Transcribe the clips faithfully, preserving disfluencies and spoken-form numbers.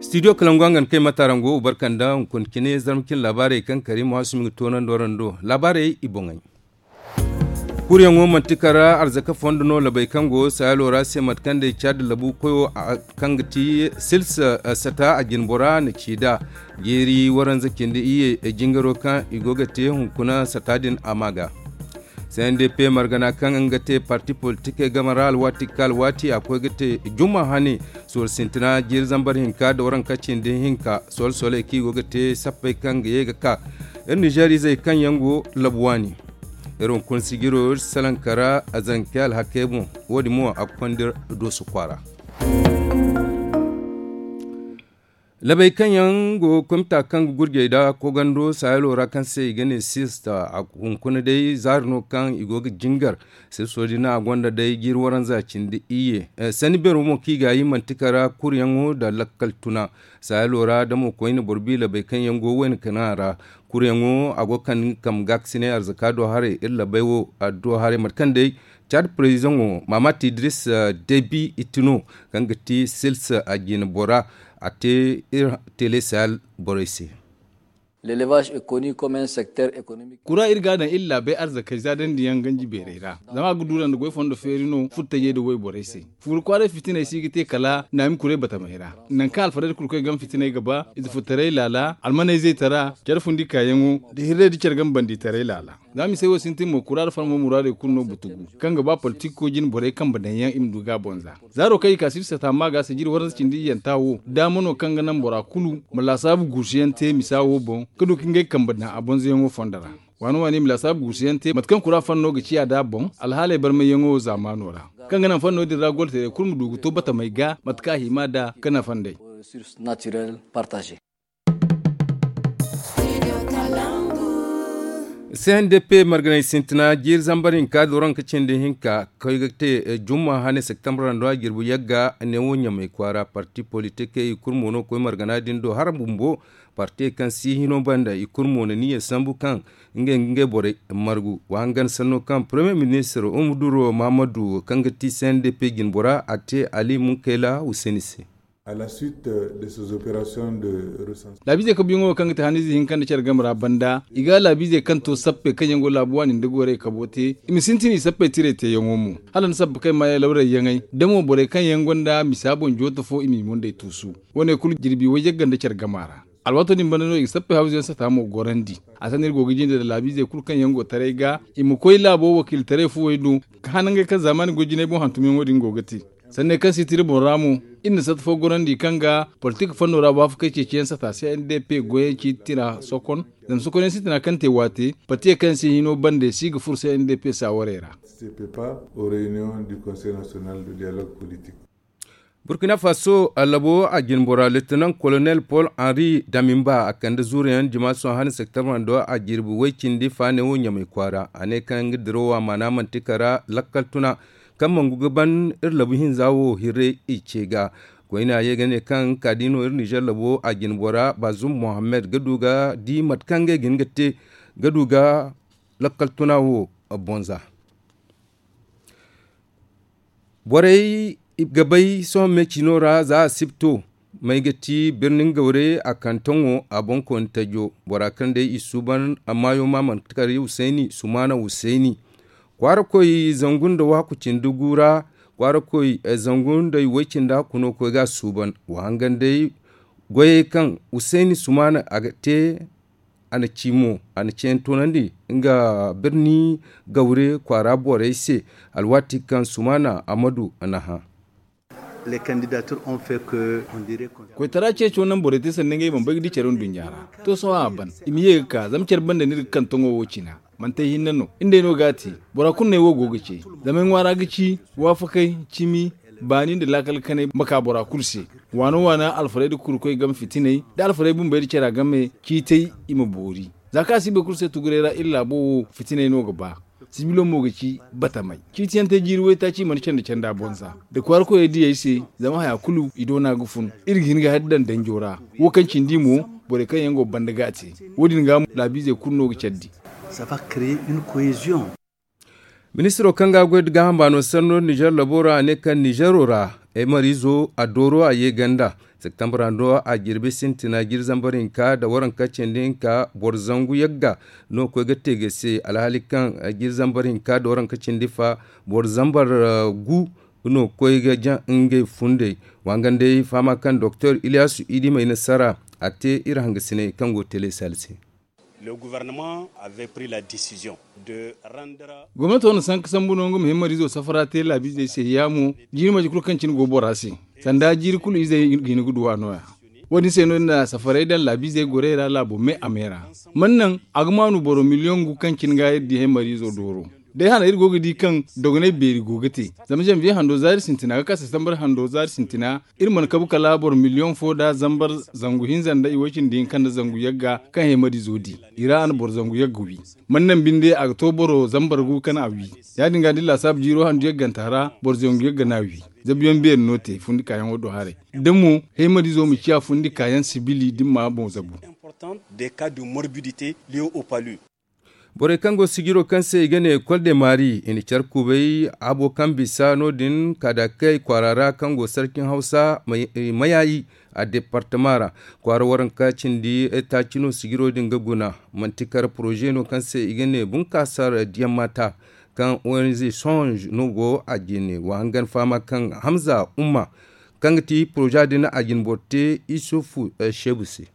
Studio kalangu a ga ni kay matarango barkanda hunkuna cine zarma cine laabaarey kaŋ kari ma wasu ma ga toonandi waraŋ do laabaarey i boŋey. Kuryaŋo manti kara arzaka fondo no labey kaŋ go saayalo ra se mate kaŋ day caadi labu koyo kaŋ ga ti silsa sata a jinbora na ci da jeeri waranza cindi iyye jingaro kaŋ i go ga te hunkuna sata din a ma ga. C N D P margana kaŋ nga te parti politikey game ra alwaati ka alwaati a koy ga te juma hane sorro sintina jiiri zambar hinka da waranka cindi hinka solo-soley kaŋ i go ga te sappey kaŋ ga ye ga ka iri nizeer izey kaŋ yaŋ go labu waani. Iri hunkuna sijiro iri salaŋ kara zanke alhakey boŋ wo- din mo a ga konda iri dooso kwaara. Labey kaŋ yaŋ go komita kaŋ ga gurjey da kogando saayalo ra kaŋ se i ga ne sista a hunkuna day zaari no kaŋ i go ga jingar. Sista wo- din a gonda day jiiri waranza cindi iyye sanni beero mo kaŋ i ga yi manti kara kuryaŋo nda lakkal tuna saayalo ra da mo koyne boro bi labey kaŋ yaŋ go wayna kana ra. Kuryaŋo a go ga kande nga kambe ga ga si ne arzaka do haray iri labey wo a do haray mate kaŋ day caadi parezidaŋo mamat idris debi itino kaŋ ga ti sils a jina bora a te iri tele sahel borey se. Kura iri ga a daŋ iri laabey arzakey zaadandi yaŋ ganji beerey ra zama a ga duura nda goy fondo feeri no furtajey nda wayborey se. Fuuru kwaaray fitiney si ga te kala naami kuray batamey ra nangu kaŋ alfarey nda kurkoy game fitiney ga ba ize furtaray laala almaney zaytara care fundi kaayaŋo nda hirrey nda care game banditaray laala. Za misey wo sintin mo kura nda farmo muraadey kulu no butugu kaŋ ga ba politik ko jine borey kambe daŋ yaŋ i ma du ga a boŋ za zaaro kaŋ i ka sibsa taama ga sijiri waranza cindi iyyanta wo daama no kaŋ ga naŋ bora kulu ma laasaabu guusuyaŋ te misa wo boŋ ga du ka ngey kambe daŋ a boŋ zayaŋo fondo ra. Waani waani i ma laasaabu guusuyaŋ te mate kaŋ kura fanno ga ciya nd'a boŋ alhaaley barmayyaŋo zaamaano ra kaŋ ga naŋ fanno din ra golteerey kulu ma du ga to batamey ga mate kaŋ a hima nd'a ga nafa nd'ey. C N D P marganay sintina jiiri zambar hinka da waranka cindi hinka koy ga te jumma hane septembre ra nda a jirbi yagga neewo ɲamay kwaara parti politikey i kulu mo no koy margana din do hara bumbo. Parti kaŋ si hino banda i kulu mo na niya sambu kaŋ ngey ga ngey borey margu wa hangan sanno kaŋ premier ministre umuduro mahamadu kaŋ ga ti C N D P jinbora a te ali munkayla huseni se. Laabiizey kabuyaŋo kaŋ ga ti haniize hinka nda care game ra banda i ga laabiizey kaŋ to sappey kaŋ yaŋ go laabu waani nda goray kabo te i ma sintin i sappey tiray teeyaŋo mo. Hala ni sabba kaŋ i ma ye lawray yaŋey da mo borey kaŋ yaŋ gonda misa boŋ jooto fo i m'i mundey tuusu. Wo- ne kulu jirbi wayjagga nda care gama ra. Alwaato din banda no i ga sappey hawzu yaŋ sata mo gorandi. A sanni iri go ga jinde nda laabiizey kulu kaŋ yaŋ go taray ga i ma koy laabo wakiilitaray fuwey do ga hanangey kaŋ zaamaani goy jinay boŋ hantumyaŋo din go ga te. Sanney kaŋ si tira boŋ ra mo iri na sata fo gorandi kaŋ ga politik fanno ra waafakey ceeciyaŋ sata C N D P goyey ciiti tira sokon. Zama sokonyaŋ sintina kaŋ te waate partiye kaŋ se hino bande si ga furo C N D P saawarey ra. Burkina faso allabo a jinbora lieutenant colonel paul henri damimba a kande zuuruyaŋ jimaaso hane septembre do a jirbi way cindi faane wo ɲamay kwaara a ne kaŋ nga dirawo a maana manti kara lakkal tuna kaŋ mangu ga ban iri labu hinza wo hirray i ce ga. Koyne a ye ga ne kaŋ kaadi no iri nizer labo a jinbora bazum mohammed ga du ga di mate kaŋ ngey ga hin ga te ga du ga lakkal tuna wo bonza. Borey ga bay sohõ me cino ra za a sibto may ga ti birnin gawre a kantaŋo a boŋ kooni tajo bora kaŋ day i suuban amma yo ma manti kar husayni sumaana husayni. Kwaara koy zangu nda waaku cindi gu ra kwaara koy zangu nda i way cindi hakku no koy ga a suuban wa hangan day. Goyey kaŋ husayni sumaana a ga te a na ci mo a na ceeyaŋ toonandi nga birni gawre kwaara borey se. Alwaati kaŋ sumaana amadu a na hã. Koytara ceeco naŋ borey te sanda ngey bambey ga di care nduɲɲa ra. To sohõ a ban i ma ye ga ka zama care banda no iri ga kaŋ taŋo wo cina. Manti ay hinne no iri nd'ey no ga a te. Bora kulu no ay wo go ga ce. Zama ay ŋwaara ga ci waafakey cimi baani nda laakal kanay ma ka bora kulu se. Waana waana alfarey nda kurkoy game fitiney nda alfarey bumbey nda cara game ciitay i ma boori. Za kaŋ a si boro kulu se tuguray ra iri laabo wo fitiney no ga ba. Sibilo mo ga ci batamay ciitiyaŋ te jiiri waytaaci i mana candi canda boŋ za nda kwaara koyey diyey se. Zama haya kulu i doona ga fun iri ga hin ga hari daŋ danjo ra. Wo kaŋ cindi mo borey kaŋ yaŋ go banda ga a te. Wo- din ga mo laabiizey kulu no ga candi. Ministiro kaŋ ga a goy nda gaaham baano sanno nizer labo ra a ne kaŋ nizero ra ay mariizo a dooro a ye ganda. Septembre ra no a jirbi sintina jiri zambar hinka nda waranka cindi hinka boro zangu yagga no koy ga te ga se alhaali kaŋ jiri zambar hinka nda waranka cindi fa boro zambar gu no koy ga jaŋ ngey fundey. Wa hangan day fahama kaŋ doktor iliyasu idi may nasara a te iri hangasiney kaŋ go ga te laysal se. Gomnato na sanka sambu no nga ma himmariizo safara te laabiizey se yaamo jiiri marje kulu kaŋ cine go bora se sanda jiiri kulu izey ga hin ga duw'a no- ya. Wo- din se no- din na safaray daŋ laabiizey gorey ra laabo me a me ra. Man naŋ a ga maanu boro miliyoŋ gu kaŋ cine ga iri di himmariizo dooro. Day hana iri go ga di kaŋ dogonay beeri go ga te zama zanbiye hando zaari sintina ga ka sasambar hando zaari sintina iri mana kabu kala boro miliyoŋ fo nda zambar zangu hinza nda i way cindi hinka nda zangu yagga kaŋ heemadiizo di. I ra a na boro zangu yagga wi. Man naŋ binde a ga to boro zambar gu kaŋ a wi. Ya- din ga da ni laasaabu jiiro handu yagganta ra boro zangu yagga no a wi. Zabuyaŋ beeri no te fundi kaayaŋo do haray da mo heemadiizo ma ciya fundi kaayaŋ sibili da ni ma boŋ zabu. Borey kaŋ go sijiro kaŋ se i ga ne kol de maari i na care kubay abo kaŋ bisa no- din kaadakey kwaara ra kaŋ go sarcin hawsa mayayi a departama ra. Kwaara waranka cindi taaci no sijiro din ga guna. Manti kar poroze no kaŋ se i ga ne bunkaasar diyammata kaŋ onz songe no go a jine wa hangan fahama kaŋ hamza umma kaŋ ga ti poroze din a jine boro te isufu sheebu se.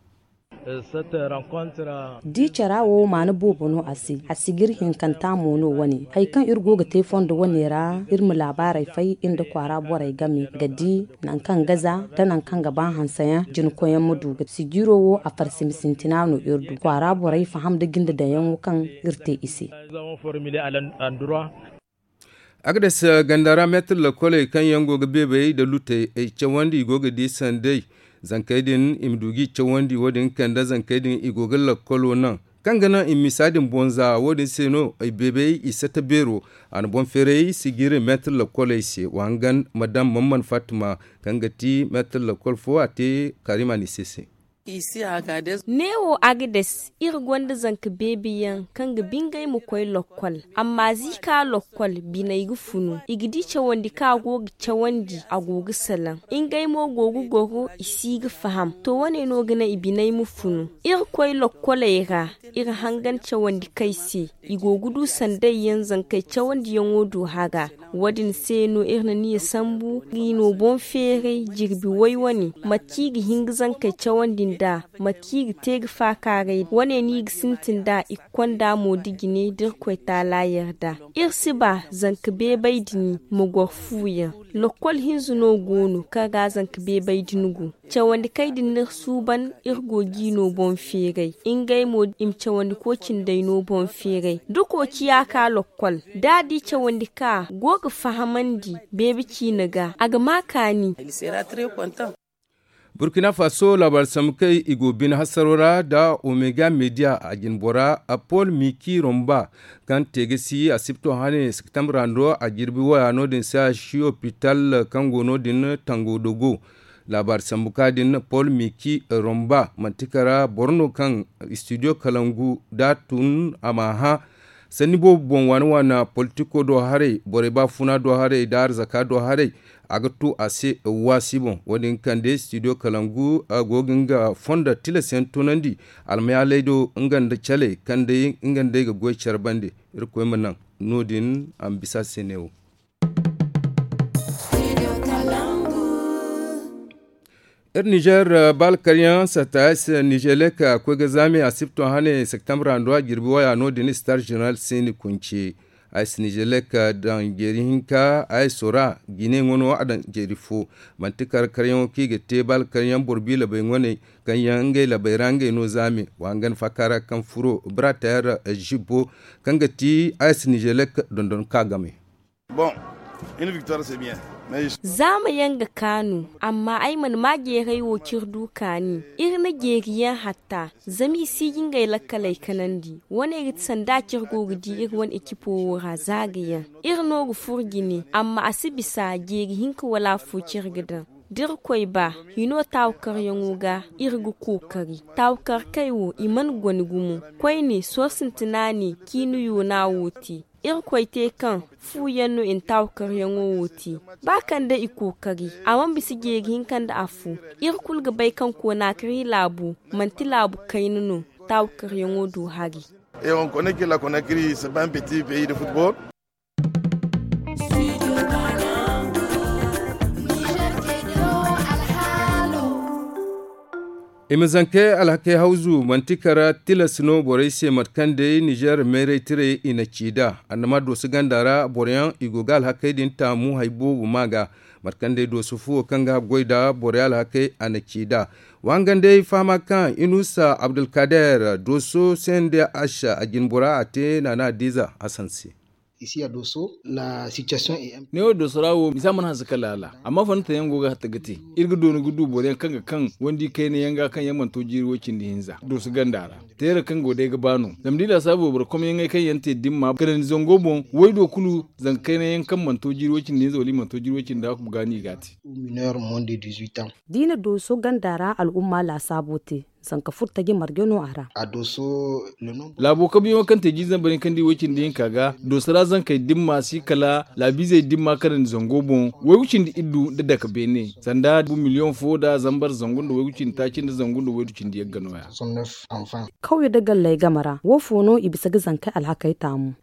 Di cara wo maana boobo no a se a sijir hinkanta mo no wane hari kaŋ iri go ga te fondo wane ra iri ma laabaarey fay iri nda kwaara borey game ga di nangu kaŋ ga za nda nangu kaŋ ga ba hanseyaŋ jinkoyaŋ ma du ga sijiro wo a farsimi sintina no iri du kwaara borey faham nda jinde daŋyaŋo kaŋ iri te i se. Agades ganda ra meetir lakoley kaŋ yaŋ go ga beebey nda lutey ay cawandi i go ga di sanday zankey din i ma du g'i cawandi wo- din kande zankey din i go ga lakolo naŋ kaŋ ga naŋ i ma misa din boŋ za wo- din se no ay beebey i sata beero. A na boŋ feeray sijiri meetir lakoley se wa hangan madam mamman fatima kaŋ ga ti meetir lakol fo a te karimani se se. Neewo agades iri gonda zanka beebi yaŋ kaŋ ga bingay ma koy lokkol amma za i ka lokkol biney ga funu i ga di cawandi kaŋ a go ga cawandi a go ga salaŋ. Ngey mo go ga goro i si ga faham to wane no ga naŋ i biney ma funu. Iri koy lokkoley ra iri hangan cawandi kay se i go ga du sanday yaŋ zankey cawandiyaŋo du hara. Wo- din se no iri na niya sambu ga i no boŋ feeray jirbi way wane mate kaŋ i ga hin ga zankey cawandi nd'a mate kaŋ i ga te ga faakaaray wane no i ga sintin nd'a i ga konda mo da jine da irkoy taala yarda. Iri si ba zanka beebay din ma goro fu yaŋ. Lokkol hinza no go no kaŋ ra zanka beebay din go. Cawandi kay din no iri suuban iri go g'i no boŋ feeray ngey mo i ma cawandi koocinday no boŋ feeray da kooci ya ka lokkol da a di cawandi ka go ga fahamandi beebe ciine ga a ga ma kaani. Burkina faso laabaari sambu kaŋ i go bine hasaro ra nda omega media a jinbora paul miki romba kaŋ te ga si asibto hane septembre ra no a jirbi waya no- din se a si opital kaŋ go no- din tango dogo. Laabaari sambu ka din paul miki romba manti kara boro no kaŋ studio kalangu da tun a ma hã sanni boobo boŋ waana waana politiko do haray borey baafuna do haray nda arzaka do haray. A ga tu a se waasi boŋ wo- din kande studio kalangu go ga nga fondo tilas yaŋ tunandi almayaaley do nga nda caley kaŋ day nga nd'ey ga goy care bande. Irkoy ma naŋ no- din a ma bisa a se neewo. Iri nizer baala karyaŋ sata ay se nizelek a koy ga zaami a sipto hane septembre ra nda a jirbi waya no- din star general se ni kunce. Ay se nizelek daŋ jeeri hinka ay sora jine ŋwa no a daŋ jeeri fo. Manti kar karyaŋo kaŋ i ga te baala karyaŋ boro bi labey ŋwaney kaŋ yaŋ ngey labey ra ngey no zaami wa hangan faaka ra kaŋ furo bira tayar zibbo kaŋ ga ti ay se nizelek dondon ka game. Zaama yaŋ ga kaanu amma ay mana ma jeeray wo kaŋ iri du kaani. Iri na jeeri yaŋ hatta zama i si ga ngey lakkaley kanandi. Wane ga ti sanda kaŋ iri go ga di iri wane ekipo wo ra za ga yaŋ. Iri no ga furo jine amma a si bisa jeeri hinka wala afo kaŋ iri ga daŋ. Da irkoy ba hino taawakaryaŋo ga, iri ga kookari. Taawakarkey wo i mana goni gumo. Koyne sohõ sintina ne ciini yoona wo te. Irkoy te kaŋ fu yaŋ no i na taawakaryaŋo wo te. Ba kaŋ day i kookari, a mana bisa jeeri hinka nda afo. Iri kulu ga bay kaŋ koonakari laabo manti laabu kayna no. Taawakaryaŋo du hari. Et on connaît que la Conakry, c'est pas un petit pays de football. I ma zankey alhakey hawzu manti kara tilas no borey se mate kaŋ day nizeer meeray tirey i na ci nd'a. Annama dooso ganda ra boroyaŋ i go ga alhakey din taamu hari boobo maa ga. Mate kaŋ day dooso fuwo kaŋ ga goy nd'a borey alhakey a na ci nd'a. Wa hangan day fahama kaŋ inusa abdulkader dooso sende ash a jinbora a te naana adiiza hasan se. Neewo dooso ra wo misa mana hanse kala ala amma fanda taŋ yaŋ go ga hatta ga te. Iri ga dooni ga du boro yaŋ kaŋ ga kaŋ wandi kayna yaŋ ga kaŋ yaŋ mana to jiiri way cindi hinza dooso ganda ra. Teera kaŋ go day ga ba no zama da i laasaabu boro komyaŋey kaŋ yaŋ te dimma kanandi zango boŋ waydo kulu zanka kayna yaŋ kaŋ mana to jiiri way cindi hinza wala i mana to jiiri way cindi hakku ga no i ga a te. Da i na dooso ganda ra al'umma laasaabo te zanka furtaji marje no a ra. Laabo kabuyaŋo kaŋ te jiiri zambar hinka nda i way cindi hinka ga dooso ra zankey dimma si kala laabiizey dimma kanandi zango boŋ waygu cindi iddu nda dake beene sanda bu miliyoŋ fo nda zambar zangu nda waygu cindi taaci nda zangu nda waydu cindi yagga no- ya. Kawye nda galley game ra wo fo no i bisa ga zankey alhakey taamu?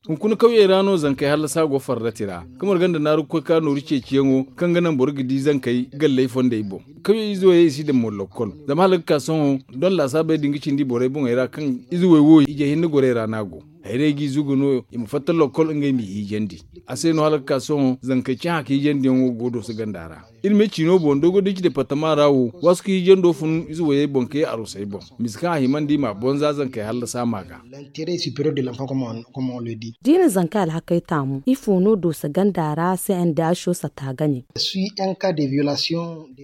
Hunkuna kawyey ra no zankey hallasa go farrati ra. Kamar ganda naaru ga koy ka nooru ceeciyaŋo kaŋ ga naŋ boro ga di zankey galley fondey boŋ. Kawyey ize wayey i si daŋ mo lokkol zama hala ga ka sohõ don laasaabey din ga cindi borey boŋey ra kaŋ ize way wo ije hinne gorey ra no a go. Hayrey g'i zugu no i ma fatta lokkol ngey m'i hiijandi. A se no hala ga ka sohõ zankey cahã ka hiijandiyaŋo go dooso ganda ra. Iri me ciino boŋ dogo da ci departama ra wo waasu ka hiijando fun ize wayey boŋ ka ye arusey boŋ. Misa kaŋ a himandi i m'a bonza zankey hallasa maa ga. Da i na zankey alhakey taamu ifo no dooso ganda ra se nda aso sata ga ne?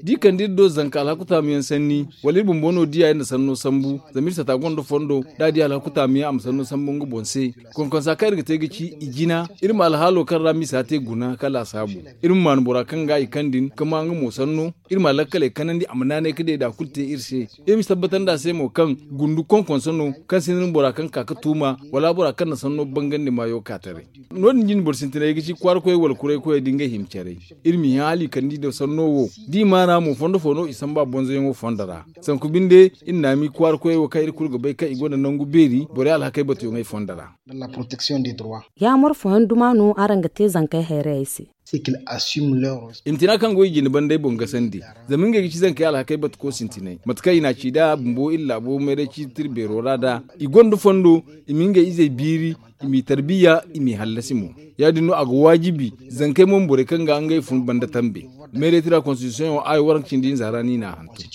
Da i kande iri do zanka alhaku taamuyaŋ sanni wala iri bumbo no diya iri na sanno sambu zama iri sata gonda fondo da a di alhaku taamuyaŋ a ma sanno sambu nga boŋ se. Konkonsa kaŋ iri ga te ga ci i jina iri ma alhaalo kaŋ ra misa te guna ka laasaabu. Iri ma maanu bora kaŋ ga i kaŋ din ka ma nga mo sanno iri ma lakkaley kanandi a ma naanay ka deeda kulu te iri se. Iri ma si tabbatandi a se mo kaŋ gundu konkonso no kaŋ sinda ni bora kaŋ ka ka tuuma wala bora kaŋ na sanno bangandi maayo ka taray. No- din jine boro sintinay ga ci kwaara koyey wala kuray koyey da ngey hima caray. Iri m'i hã hala i kande i daw sanno wo da i maana mo fondo fo no i samba bonzoyaŋo fondo ra. Sanku binde iri naami kwaara koyey wo kaŋ iri kulu ga bay kaŋ i gonda nangu beeri borey alhakey batuyaŋey fondo ra. Yaamar fooyaŋ duma no araŋ ga te zankey hayrayey se? I ma tina kaŋ go i jine bandey boŋ gasandi zama ngey ga ci zankey alhakey batuko sintinay mate kaŋ i n'a ci nd'a bumbo iri laabo mayray ciiti iri beero ra nd'a. I gonda fondo i ma ngey izey biiri i m'i tarbiya i m'i hallasi mo. Ya- din no a ga waajibi zankey mo ma borey kaŋ ga ngey fun banda tambe. Meeray tira konstitisiyoŋo aayo waranka cindi hinza ra no i n'a hantum.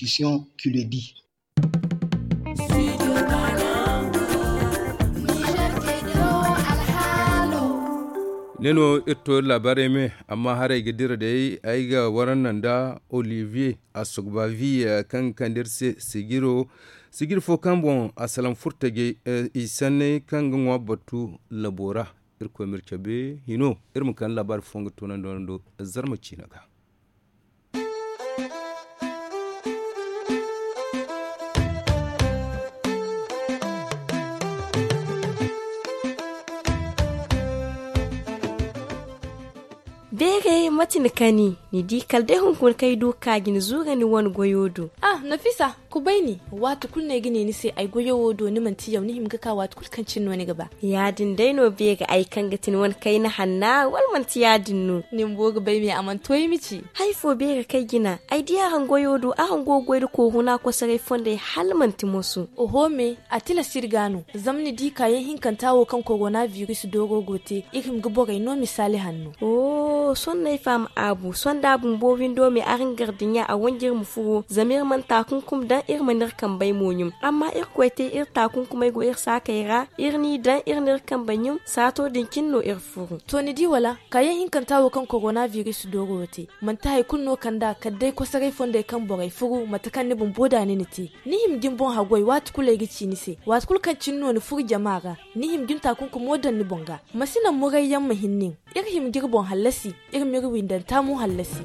Ne no iri to iri laabaarey me amma haray ga dira day ay ga waranna nda olivier asogbavi kaŋ ga kande iri se sigiro sigir fo kaŋ boŋ a salaŋ furtajey i sanney kaŋ ga ŋwa batu labo ra. Irkoy ma iri cabe hino iri ma kande laabaari fo nga toonandi wane do zarma ciina ga. Beere mate ni kani ni di kala day hunkuna kaŋ ay du ga ka ga ni zuura ni wane goyo do. Ah nafisa, kubay ni. Waati kulu no ay ga ne ni se ay goyo wo do ni manti yaw ni hima ga ka waati kulu kaŋ cine no ni ga ba. Ya- din day no beere ay kaŋ ga ti ni wane kayna hanna wala manti ya- din no? Ni bumbo ga bay me a mana to ay ma ci. Hari fo beere kaŋ ay jina ay di araŋ goyo do araŋ go ga goy nda kooruna kosoray fondey hala manti moso. Oho me, a tilas iri ga no zama ni di kaayaŋ hinkanta wo kaŋ korona biris dooro go te iri hima ga borey no misaali hanno. Sohõ no ay faham aabu sohõ da a bumbo windo me araŋ gardiɲa a wanji iri ma furo zama iri mana taakunkum daŋ iri mana iri kambey mo ɲum. Amma irkoy te iri taakunkumey go iri saakey ra iri n'i daŋ iri n'iri kambey ɲum saato din cine no iri furu. To ni di wala kaayaŋ hinkanta wo kaŋ korona biris dooro te manti hari kulu no kand'a kala day kosoray fondey kaŋ borey furu mate kaŋ ni bumbo da ni na te. Ni hima ga ni boŋ haggoy waati kulu ay ga ci ni se waati kulu kaŋ cine no ni furu jama ra. Ni hima ga ni taakunkumo daŋ ni boŋ ga. Ma si naŋ murayyaŋ ma hin nin. Iri hima ga iri boŋ hallasi. Iri ma iri Windanta mo hallasi.